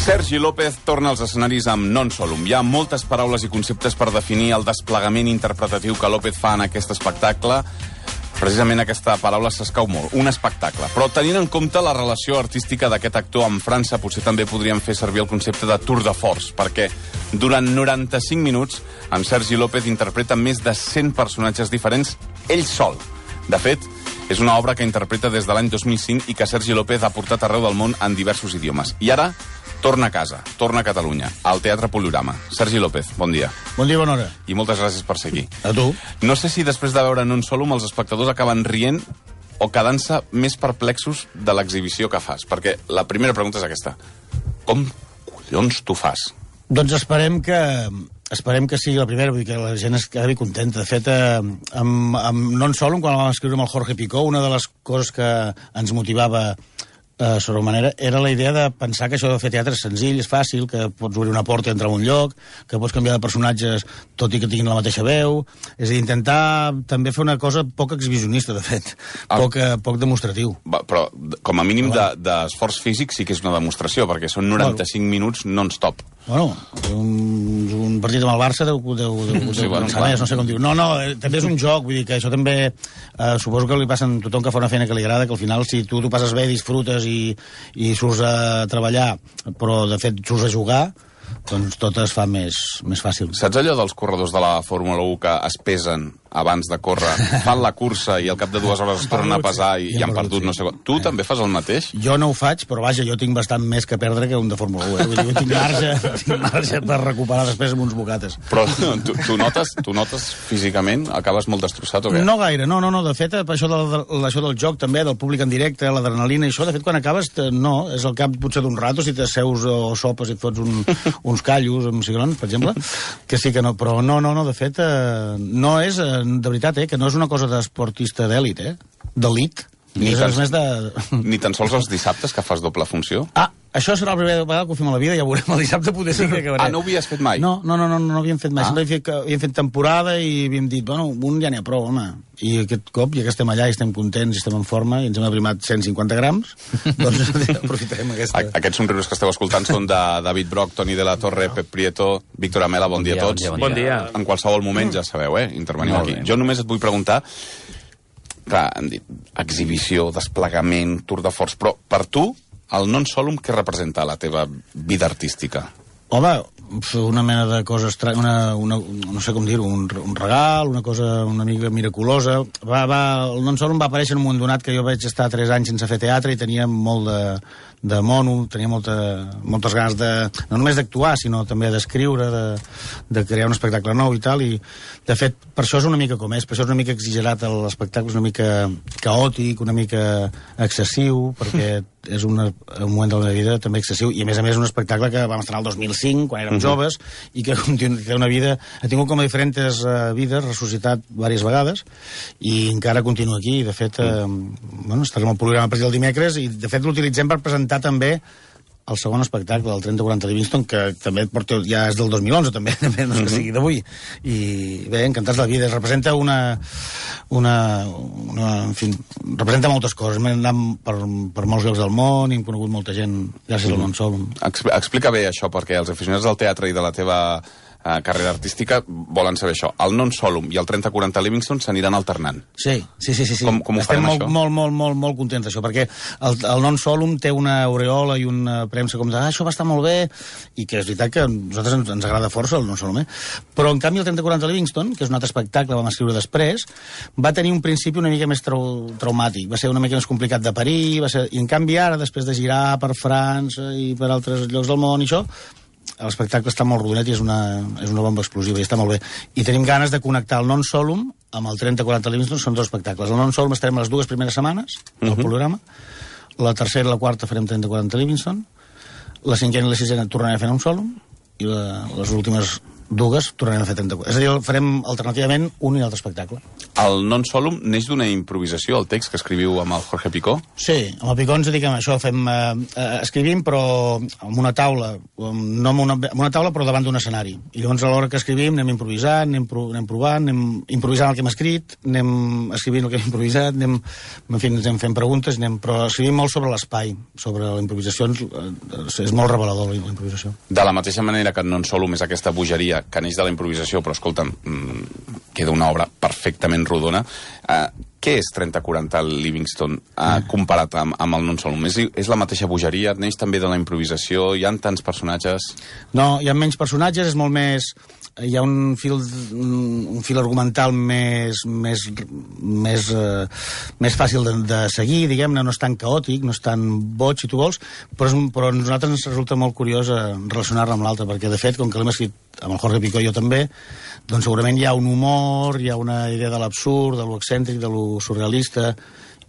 Sergi López torna als escenaris amb Non Solum. Hi ha moltes paraules i conceptes per definir el desplegament interpretatiu que López fa en aquest espectacle. Precisament aquesta paraula s'escau molt, un espectacle. Però tenint en compte la relació artística d'aquest actor amb França, potser també podríem fer servir el concepte de tour de force, perquè durant 95 minuts en Sergi López interpreta més de 100 personatges diferents ell sol. De fet, és una obra que interpreta des de l'any 2005 i que Sergi López ha portat arreu del món en diversos idiomes. I ara torna a casa, torna a Catalunya, al Teatre Poliorama. Sergi López, bon dia. Bon dia, bona hora. I moltes gràcies per ser aquí. A tu. No sé si després de veure Non Solum els espectadors acaben rient o quedant-se més perplexos de l'exhibició que fas. Perquè la primera pregunta és aquesta. Com collons tu fas? Doncs esperem que sigui la primera, vull dir que la gent es quedi contenta. De fet, amb Non Solum, quan el vam escriure amb el Jorge Picó, una de les coses que ens motivava sobre manera era la idea de pensar que això de fer teatre és senzill, és fàcil, que pots obrir una porta i entrar en un lloc, que pots canviar de personatges tot i que tinguin la mateixa veu. És a dir, intentar també fer una cosa poc exhibicionista, de fet, poc demostratiu. Però com a mínim d'esforç físic sí que és una demostració, perquè són 95 minuts non-stop. Bueno, un partit amb el Barça no sé com diu. No, també és un joc, vull dir que això també suposo que li passa a tothom que fa una feina que li agrada, que al final si tu passes bé, disfrutes i surts a treballar, però de fet surts a jugar, doncs tot es fa més fàcil. Saps allò dels corredors de la Fórmula 1 que es pesen abans de córrer, fan la cursa i al cap de 2 hores es tornen a pesar i han perdut no sé què? Tu també fas el mateix? Jo no ho faig, però vaja, jo tinc bastant més que perdre que un de Fórmula 1. Vull dir, jo tinc marge per recuperar després amb uns bocates. Però tu notes físicament? Acabes molt destrossat o què? No gaire, no. De fet, això del joc també, del públic en directe, l'adrenalina i això, de fet, quan acabes, no, és al cap potser d'un rato, si t'asseus o sopes i et fots uns callos amb cigrons, per exemple, que sí que no, però no, de fet, no és, de veritat, que no és una cosa d'esportista d'èlit, d'elit. Ni tan sols els dissabtes, que fas doble funció? Això serà la primera vegada que ho fem a la vida, ja veurem, el dissabte poder sí que acabaré. No ho havies fet mai? No havíem fet mai, sempre havíem fet temporada i havíem dit, bueno, un ja n'hi ha prou, home. I aquest cop, ja que estem allà i estem contents i estem en forma i ens hem aprimat 150 grams, doncs aprofitarem aquesta. Aquests somriures que esteu escoltant són de David Broch, Toni de la Torre, Pep Prieto, Víctor Amela, bon dia a tots. Bon dia. En qualsevol moment, ja sabeu, interveniu aquí. Jo només et vull preguntar, clar, hem dit exhibició, desplegament, tour de force, però per tu, el Non Solum, què representa a la teva vida artística? Home, una mena de cosa estranya, no sé com dir-ho, un regal, una cosa una mica miraculosa. El Non Solum va aparèixer en un moment donat que jo vaig estar 3 anys sense fer teatre i tenia molt de mono, tenia moltes ganes no només d'actuar, sinó també d'escriure, de crear un espectacle nou i tal, i de fet, per això és una mica com és, per això és una mica exagerat l'espectacle, és una mica caòtic, una mica excessiu, perquè és un moment de la meva vida també excessiu, i a més un espectacle que vam estrenar el 2005, quan érem joves, i que té una vida, ha tingut com a diferents vides, ressuscitat diverses vegades, i encara continua aquí. De fet, estarem al programa a partir del dimecres, i de fet l'utilitzem per presentar també el segon espectacle, el 30-40 Livingston, que també ja és del 2011, també no és que sigui d'avui. I bé, encantats de la vida. Representa en fi, representa moltes coses. Hem anat per molts llocs del món i hem conegut molta gent gràcies al Non Solum. Explica bé això, perquè els aficionats del teatre i de la teva carrera artística volen saber això. El Non Solum i el 30-40 Livingston s'aniran alternant. Sí. Com ho farem, això? Estem molt contents d'això, perquè el Non Solum té una aureola i una premsa com de això va estar molt bé, i que és veritat que a nosaltres ens agrada força el Non Solum, però en canvi el 30-40 Livingston, que és un altre espectacle que vam escriure després, va tenir un principi una mica més traumàtic, va ser una mica més complicat de parir, i en canvi ara, després de girar per França i per altres llocs del món i això, l'espectacle està molt rodonet i és una bomba explosiva i està molt bé. I tenim ganes de connectar el Non Solum amb el 30-40 Livingston, són 2 espectacles. El Non Solum estarem les 2 primeres setmanes del programa, la tercera i la quarta farem 30-40 Livingston, la cinquena i la sisena tornarem a fer Non Solum, i les últimes dues, tornarem a fer 34. És a dir, farem alternativament un i altre espectacle. El Non Solum neix d'una improvisació, el text que escriviu amb el Jorge Picó? Sí, amb el Picó ens dediquem a això, escrivim però amb una taula, no amb una taula però davant d'un escenari. I llavors a l'hora que escrivim anem improvisant, anem provant, anem improvisant el que hem escrit, anem escrivint el que hem improvisat, anem fent preguntes, però escrivim molt sobre l'espai, sobre la improvisació, és molt revelador la improvisació. De la mateixa manera que Non Solum és aquesta bogeria que neix de la improvisació, però escolta'm, queda una obra perfectament rodona. Què és 30-40 Livingston comparat amb el Non Solum? És la mateixa bogeria? Neix també de la improvisació? Hi ha tants personatges? No, hi ha menys personatges, és molt més... Hi ha un fil argumental més fàcil de seguir, diguem-ne, no és tan caòtic, no és tan boig, si tu vols, però a nosaltres ens resulta molt curiós relacionar-la amb l'altre, perquè, de fet, com que l'hem escrit amb el Jorge Picó i jo també, doncs segurament hi ha un humor, hi ha una idea de l'absurd, de lo excèntric, de lo surrealista,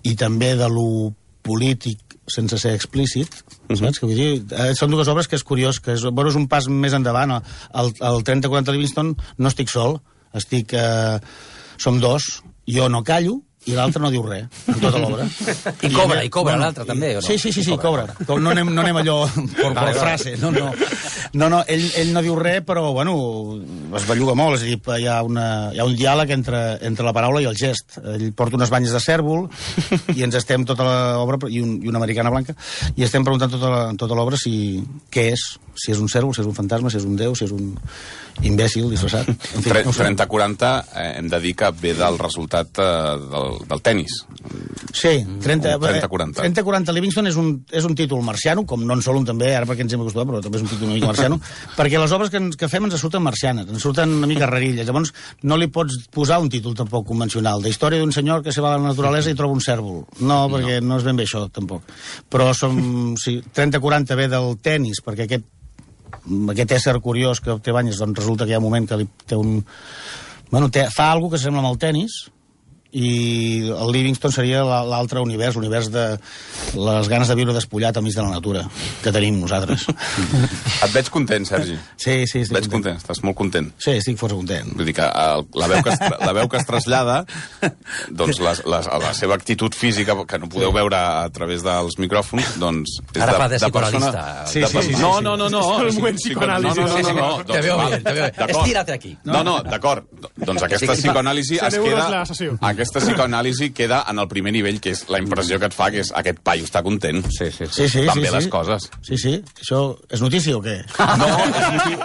i també de lo polític, sense ser explícit, saps? Que vull dir, són dues obres que és curiós, que és un pas més endavant. El 30-40 Livingston no estic sol, som dos, jo no callo, i l'altre no diu res, en tota l'obra. I cobra l'altre també, o no? Sí, cobra. No anem allò per frase. No, ell no diu res, però, bueno, es belluga molt, és a dir, hi ha un diàleg entre la paraula i el gest. Ell porta unes banyes de cèrvol i ens estem tota l'obra, i una americana blanca, i estem preguntant tota l'obra què és, si és un cèrvol, si és un fantasma, si és un déu, si és un imbècil disfressat. 30-40 hem de dir que ve del resultat del tennis. Sí, 30-40. 30-40 Livingston és un títol marciano, com Non Solum també, ara perquè ens hem acostumat, però també és un títol una mica marciano, perquè les obres que fem ens surten marcianes, ens surten una mica rarilles, llavors no li pots posar un títol tampoc convencional, de història d'un senyor que se va a la naturalesa i troba un cèrvol. No, perquè no és ben bé això, tampoc. Però 30-40 ve del tennis, perquè aquest ésser curiós que té banyes, doncs resulta que hi ha un moment que té fa alguna que sembla amb el tennis, i el Livingston seria l'altre univers, l'univers de les ganes de viure despullat al mig de la natura que tenim nosaltres. Et veig content, Sergi. Sí, estic veig content. Estàs molt content. Sí, estic força content. Vull dir que la veu que es trasllada, doncs la seva actitud física, que no podeu veure a través dels micròfons, doncs és ara fa de persona... Sí. No. És un buen psicoanàlisi. No. Te veu bé. Estira't aquí. No, d'acord. Doncs aquesta psicoanàlisi es queda... Aquesta psicoanàlisi queda en el primer nivell, que és la impressió que et fa, que és aquest paio està content. Sí. Van bé les coses. Sí. Això és notícia o què? No,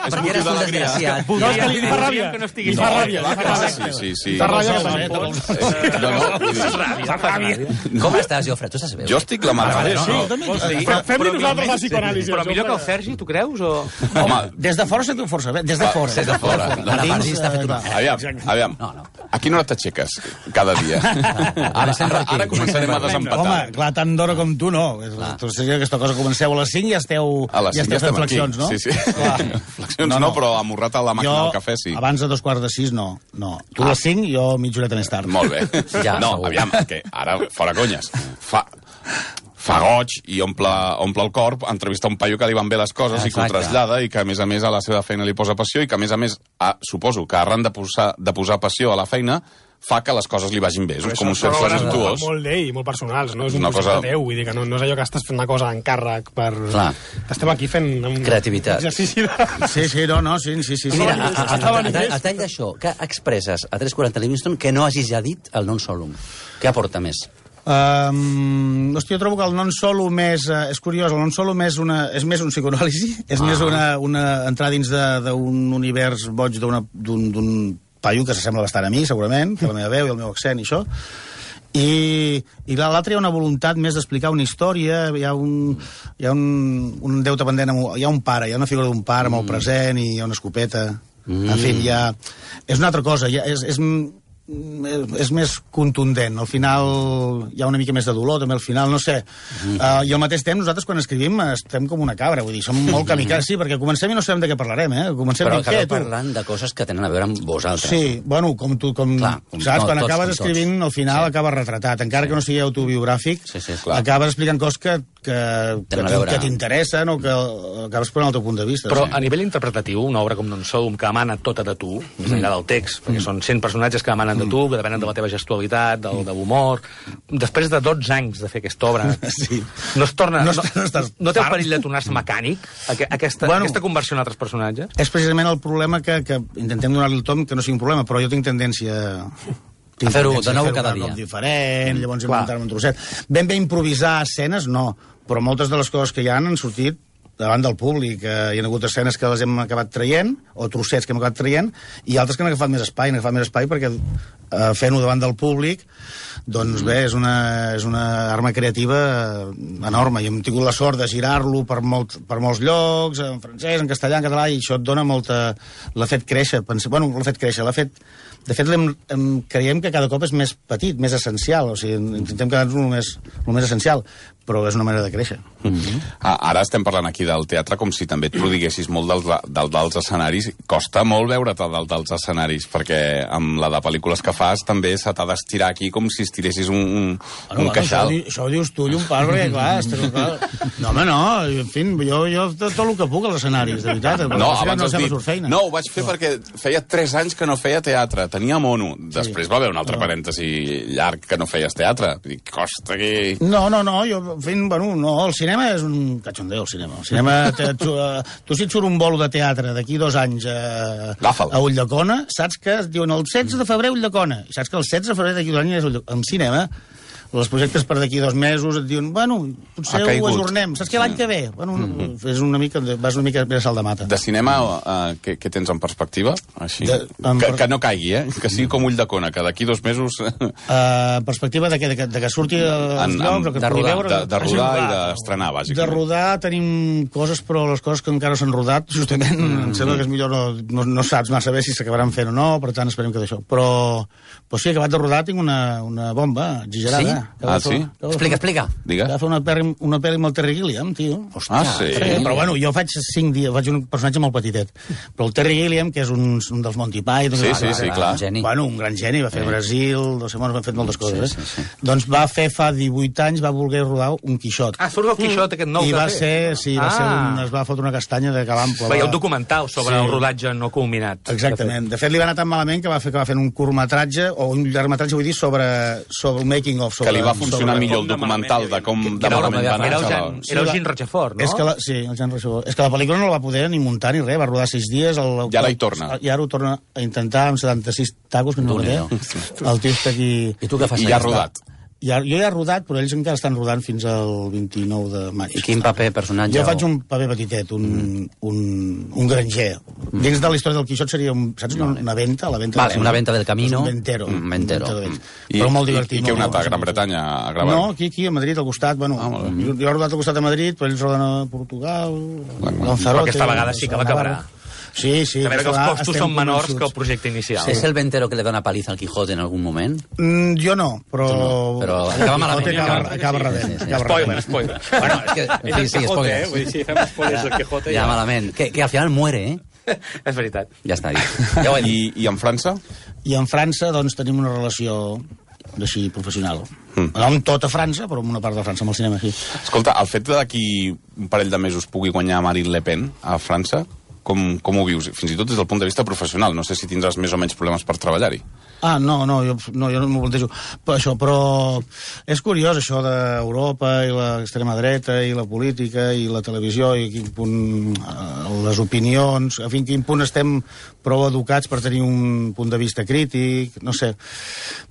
és motiu d'alegria. No, és que li fa ràbia. Que fa ràbia. Sí. Fa ràbia. Com estàs, Jofre? Tu estàs bé? Jo estic la mare. Fem-li nosaltres la psicoanàlisi. Però millor que el Sergi, tu creus? Home, des de fora sento força bé. Des de fora. Aviam. A quina hora t'aixeques cada dia? Ara començarem a desempatar. Home, clar, tant d'hora com tu, no. Tu sé que aquesta cosa comenceu a les 5 i ja esteu fent flexions, no? Sí. Flexions no, però amorrat a la màquina del cafè, sí. Abans de 5:45, no. Tu a les 5 i jo mitja horeta més tard. Molt bé. No, aviam, que ara, fora conyes, fa goig i omple el cor entrevistar un paio que li van bé les coses i que ho trasllada i que, a més a la seva feina li posa passió i que, a més, suposo que arran de posar passió a la feina fa que les coses li vagin bé. És com un cercle virtuós. Molt d'ell, molt personals, no? És un projecte teu, vull dir que no és allò que estàs fent una cosa d'encàrrec per... Estem aquí fent... Creativitat. Exercici de... Sí. Mira, a tall d'això, què expresses a 340 Livingston que no hagis ja dit el Non Solum? Què aporta més? Hòstia, jo trobo que el Non Solum és curiós, el Non Solum és més un psicoanàlisi, és més una entrar dins d'un univers boig d'un paio que s'assembla bastant a mi, segurament, que la meva veu i el meu accent i això, i l'altre hi ha una voluntat més d'explicar una història, hi ha un deute pendent, hi ha un pare, hi ha una figura d'un pare amb el present i hi ha una escopeta, en fi, és una altra cosa, és més contundent, al final hi ha una mica més de dolor també al final, no sé, i al mateix temps nosaltres quan escrivim estem com una cabra, vull dir, som molt kamikazes, sí, perquè comencem i no sabem de què parlarem, però acabeu parlant de coses que tenen a veure amb vosaltres. Sí, bueno, saps, quan acabes escrivint al final acabes retratat, encara que no sigui autobiogràfic, acabes explicant coses que t'interessen o que acabes posant el teu punt de vista. Però a nivell interpretatiu, una obra com Non Sodom, que emana tota de tu, més enllà del text, perquè són 100 personatges que emanen de tu, que depenen de la teva gestualitat, de l'humor... Després de 12 anys de fer aquesta obra, no es torna... No té el perill de tornar-se mecànic, aquesta conversió en altres personatges? És precisament el problema que intentem donar-li el tom, que no sigui un problema, però jo tinc tendència... A fer-ho de nou cada dia. Diferent, llavors inventar-me un trosset. Ben bé improvisar escenes, no, però moltes de les coses que hi han sortit davant del públic. Hi ha hagut escenes que les hem acabat traient, o trossets que hem acabat traient, i altres que han agafat més espai, perquè fent-ho davant del públic, doncs bé, és una arma creativa enorme, i hem tingut la sort de girar-lo per molts llocs, en francès, en castellà, en català, i això et dona molta... L'ha fet créixer, de fet, creiem que cada cop és més petit, més essencial, o sigui, intentem quedar-nos el més essencial, però és una manera de créixer. Ara estem parlant aquí del teatre com si també et prodiguessis molt dels escenaris. Costa molt veure't dalt dels escenaris, perquè amb la de pel·lícules que fas també se t'ha d'estirar aquí com si estiressis un queixal. Això ho dius tu, Llompart, perquè clar... No, home, no, en fi, jo tot el que puc als escenaris, de veritat. No, abans has dit, no, ho vaig fer perquè feia 3 anys que no feia teatre, tenia mono. Després va haver un altre parèntesi llarg que no feies teatre. Dic, costa que... No, jo fent, no, el cinema és un cachondeo, el cinema. El cinema, tu si et surt un bolo de teatre d'aquí 2 anys a Ulldecona, saps que es diuen el 16 de febrer Ulldecona, i saps que el 16 de febrer d'aquí 2 anys és Ulldecona. En cinema, els projectes per d'aquí 2 mesos et diuen, potser ho ajornem. Saps que l'any que ve? Vas una mica més a salt de mata. De cinema, què tens en perspectiva? Així? Que no caigui, que sigui com Ulldecona, que d'aquí 2 mesos... Perspectiva de que surti els llocs, o que es pugui veure... De rodar i d'estrenar, bàsicament. De rodar tenim coses, però les coses que encara s'han rodat, justament, em sembla que és millor no saps massa bé si s'acabaran fent o no, per tant esperem que d'això. Però sí, acabat de rodar tinc una bomba exigerada. Sí? Explica. Va fer una pel·li amb el Terry Gilliam, tio. Sí? Però jo faig 5 dies, faig un personatge molt petitet. Però el Terry Gilliam, que és un dels Monty Python... Sí, clar. Un gran geni, va fer Brasil, no sé, van fet moltes coses. Doncs va fer fa 18 anys, va voler rodar un Quixot. Surt el Quixot, aquest nou que va fer. Es va fotre una castanya de calampo. Hi ha un documental sobre el rodatge no culminat. Exactament. De fet, li va anar tan malament que va fer un curtmetratge, o un llargmetratge, vull dir, sobre el making of, que li va funcionar millor el documental de com de malament va anar. Era el Jean Rochefort, no? Sí, el Jean Rochefort. És que la pel·lícula no la va poder ni muntar ni res, va rodar 6 dies... I ara hi torna. I ara ho torna a intentar amb 76 tacos, que no ho té. El tio està aquí... I tu què fas? I ja ha rodat. Jo ja he rodat, però ells encara estan rodant fins al 29 de maig. I quin paper, personatge? Jo faig un paper petitet, un granger. Dins de la història del Quixot seria una venta? Una venta del camino. Un ventero. Però molt divertit. I què heu anat a Gran Bretanya a gravar? No, aquí, a Madrid, al costat. Jo he rodat al costat de Madrid, però ells roden a Portugal, Lanzarote... Aquesta vegada sí que l'acabarà. Sí. A veure que els costos són menors que el projecte inicial. És el ventero que le dona paliza al Quijote en algun moment? Jo no, però acaba malament. Acaba rebent. Spoiler. Bueno, és que... Spoiler, vull dir, si fem spoilers del Quijote... Ja malament. Que al final muere, És veritat. Ja està dit. I en França? I en França, doncs, tenim una relació així professional. No amb tota França, però amb una part de França, amb el cinema, sí. Escolta, el fet d'aquí un parell de mesos pugui guanyar Marine Le Pen a França, com ho vius? Fins i tot des del punt de vista professional. No sé si tindràs més o menys problemes per treballar-hi. No, jo no m'ho plantejo. Però és curiós, això d'Europa i l'extrema dreta i la política i la televisió i quin punt les opinions, a quin punt estem prou educats per tenir un punt de vista crític, no sé.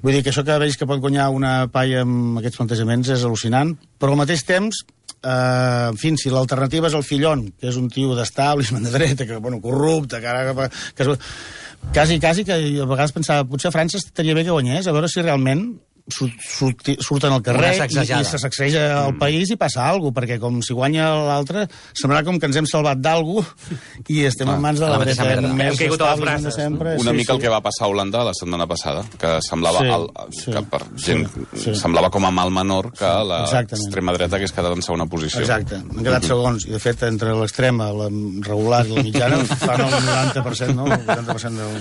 Vull dir que això que veig que pot guanyar una paia amb aquests plantejaments és al·lucinant, però al mateix temps en fi, si l'alternativa és el Fillon, que és un tio d'establishment de dreta, que, corrupte, que quasi que a vegades pensava, potser a França estaria bé que guanyés, a veure si realment surten al carrer i se sacseja el país i passa alguna cosa, perquè com si guanya l'altre semblarà com que ens hem salvat d'alguna i estem en mans de la dreta més establishment de sempre. Una mica el que va passar a Holanda la setmana passada, que semblava que per gent semblava com a mal menor que l'extrema dreta hagués quedat en segona posició. Exacte, han quedat segons, i de fet entre l'extrema, la regular i la mitjana fan el 90%, no? El 80% del...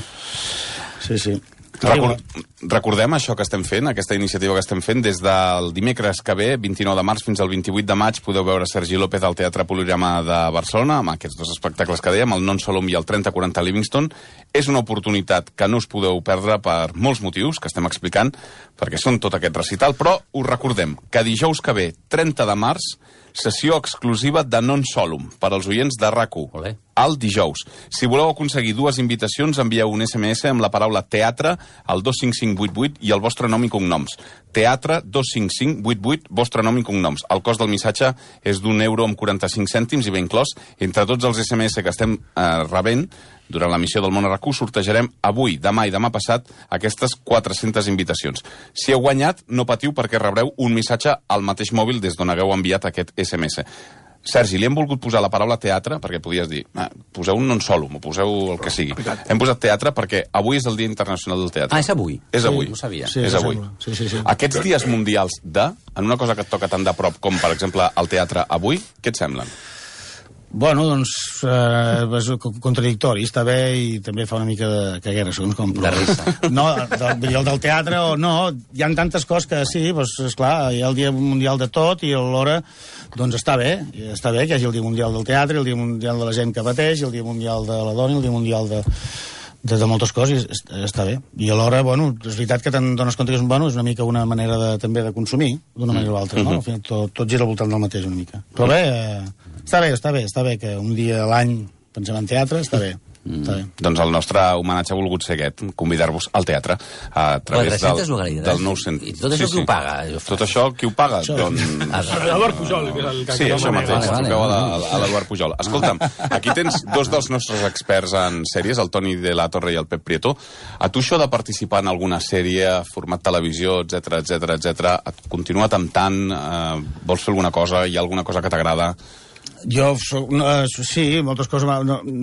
Sí. Recordem això que estem fent, aquesta iniciativa que estem fent, des del dimecres que ve, 29 de març fins al 28 de maig, podeu veure Sergi López al Teatre Polirama de Barcelona, amb aquests dos espectacles que dèiem, el Non Solum i el 3040 Livingston. És una oportunitat que no us podeu perdre per molts motius que estem explicant, perquè són tot aquest recital, però us recordem que dijous que ve, 30 de març, sessió exclusiva de Non Solum per als oients de RAC1, el dijous. Si voleu aconseguir 2 invitacions, envieu un SMS amb la paraula teatre al 25588 i el vostre nom i cognoms. Teatre 25588, vostre nom i cognoms. El cost del missatge és d'1,45 € i ben inclòs. Entre tots els SMS que estem rebent durant l'emissió del Món a RAC1 sortejarem avui, demà i demà passat aquestes 400 invitacions. Si heu guanyat, no patiu perquè rebreu un missatge al mateix mòbil des d'on hagueu enviat aquest SMS. Sergi, li hem volgut posar la paraula teatre, perquè podies dir, poseu un Non Solum, o poseu el que sigui. Hem posat teatre perquè avui és el Dia Internacional del Teatre. És avui? És avui. No ho sabia. És avui. Aquests dies mundials en una cosa que et toca tan de prop com, per exemple, el teatre avui, què et semblen? Bueno, doncs, és contradictori, està bé i també fa una mica de caguera, segons com. De risa. No, el del teatre o no, hi ha tantes coses que sí, doncs, esclar, hi ha el Dia Mundial de tot i alhora, doncs està bé que hi hagi el Dia Mundial del Teatre, el Dia Mundial de la gent que pateix, el Dia Mundial de la dona, el Dia Mundial de moltes coses, està bé. I alhora, bueno, és veritat que te'n dones compte que és una mica una manera també de consumir, d'una manera o altra, no? Al final, tot gira al voltant del mateix una mica. Però bé, està bé que un dia a l'any pensem en teatre, està bé. Doncs el nostre homenatge ha volgut ser aquest, convidar-vos al teatre a través del 900. I tot això qui ho paga? Tot això qui ho paga? L'Eduard Pujol. Sí, això mateix, truqueu a l'Eduard Pujol. Escolta'm, aquí tens 2 dels nostres experts en sèries, el Toni de la Torre i el Pep Prieto. A tu això de participar en alguna sèrie, format televisió, etc et continua temptant? Vols fer alguna cosa? Hi ha alguna cosa que t'agrada? Jo, sí, moltes coses.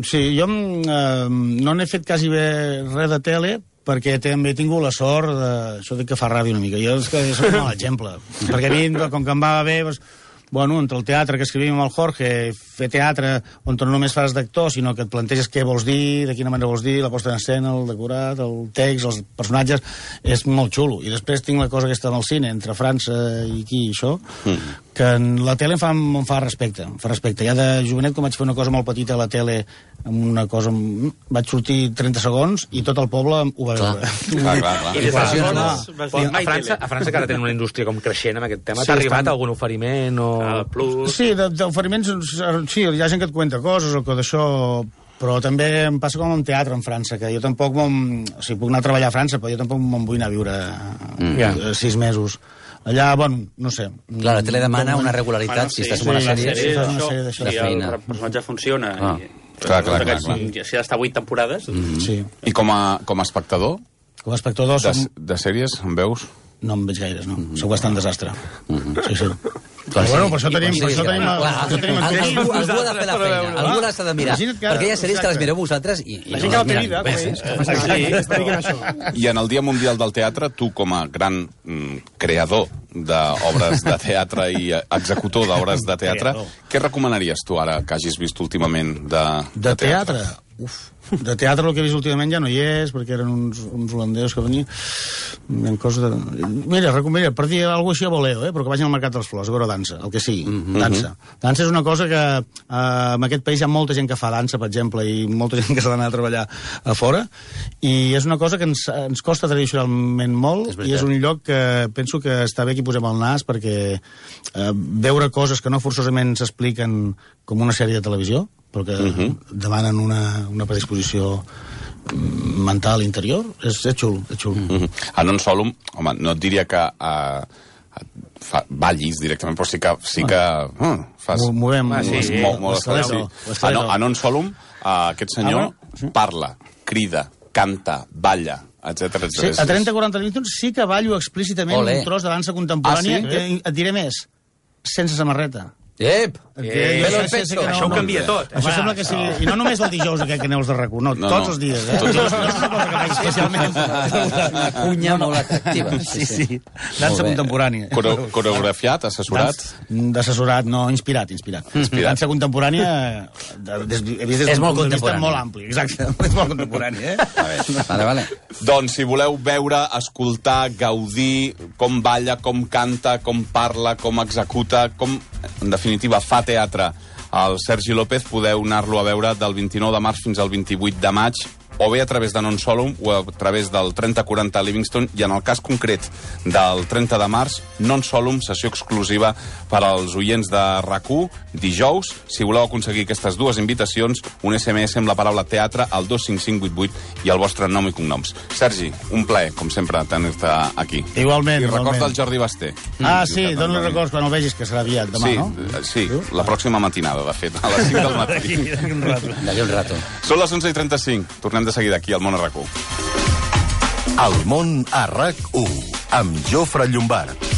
Sí, jo no n'he fet quasi bé res de tele, perquè també he tingut la sort això de que fa ràdio una mica. Jo és que soc un mal exemple. Perquè a mi, com que em va bé, bueno, entre el teatre que escrivim amb el Jorge, fer teatre on no només fas d'actor, sinó que et planteges què vols dir, de quina manera vols dir, la posta en escena, el decorat, el text, els personatges, és molt xulo. I després tinc la cosa aquesta amb el cine, entre França i aquí i això, que en la tele em fa respecte. Ja de jovenet, quan vaig fer una cosa molt petita a la tele, amb una cosa... Vaig sortir 30 segons i tot el poble ho va veure. Clar. I des d'aleshores, a França que ara tenen una indústria com creixent amb aquest tema, t'ha arribat algun oferiment o... Sí, d'oferiments, sí, hi ha gent que et cuenta coses o que d'això... Però també em passa com amb teatre en França, que jo tampoc puc anar a treballar a França, però jo tampoc me'n vull anar a viure 6 mesos. Allà, bueno, no sé. Clar, la tele demana una regularitat, si estàs en una sèrie de feina. El personatge funciona. Clar. Si ha d'estar 8 temporades... Sí. I com a espectador? Com a espectador... De sèries, en veus? No en veig gaires, no. Sóc bastant desastre. Sí. Però bueno, per això tenim... Algú ha de fer la feina, algú l'ha de mirar. Perquè hi ha sèries que les mireu vosaltres i la gent que no té vida. I en el Dia Mundial del Teatre, tu com a gran creador d'obres de teatre i executor d'obres de teatre, què recomanaries tu ara que hagis vist últimament de teatre? De teatre el que he vist últimament ja no hi és, perquè eren uns holandesos que venien. Mira, per dir alguna cosa així a voleo, però que vagin al Mercat de les Flors a veure dansa, el que sigui, dansa. Dansa és una cosa que en aquest país hi ha molta gent que fa dansa, per exemple, i molta gent que s'ha d'anar a treballar a fora, i és una cosa que ens costa tradicionalment molt, i és un lloc que penso que està bé que hi posem el nas, perquè veure coses que no forçosament s'expliquen com una sèrie de televisió, però que demanen una predisposició mental interior, és xulo. A Non Solum, home, no et diria que ballis directament, però sí que fas... Movem molt a Non Solum, aquest senyor parla, crida, canta, balla, etc. Sí, a 30-40 minuts sí que ballo explícitament un tros de dansa contemporània, et diré més, sense samarreta. Això ho canvia tot. Això sembla que sigui... I no només el dijous aquest que neus de RAC1, no, tots els dies, Tots els No és una cosa que faig especialment... Una cunya molt atractiva. Sí. Dansa contemporània. Coreografiat, assessorat? D'assessorat, no, inspirat. Dansa contemporània és molt contemporània. Molt ampli, exacte. És molt contemporània, Vale. Doncs si voleu veure, escoltar, gaudir com balla, com canta, com parla, com executa, com, en definitiva, fa teatre el Sergi López, podeu anar-lo a veure del 29 de març fins al 28 de maig, o bé a través de Non Solum o a través del 3040 Livingston, i en el cas concret del 30 de març, Non Solum, sessió exclusiva per als oients de RAC1, dijous. Si voleu aconseguir aquestes dues invitacions, un SMS amb la paraula teatre al 25588 i el vostre nom i cognoms. Sergi, un plaer, com sempre, tenir-te aquí. Igualment. I recorda el Jordi Basté. Sí, dona records quan el vegis, que serà aviat demà, no? Sí, la pròxima matinada, de fet, a les 5 del matí. D'aquí un rato. Són les 11:35. Tornem de seguida aquí al Món a RAC1. El Món a RAC1, amb Jofre Llombart.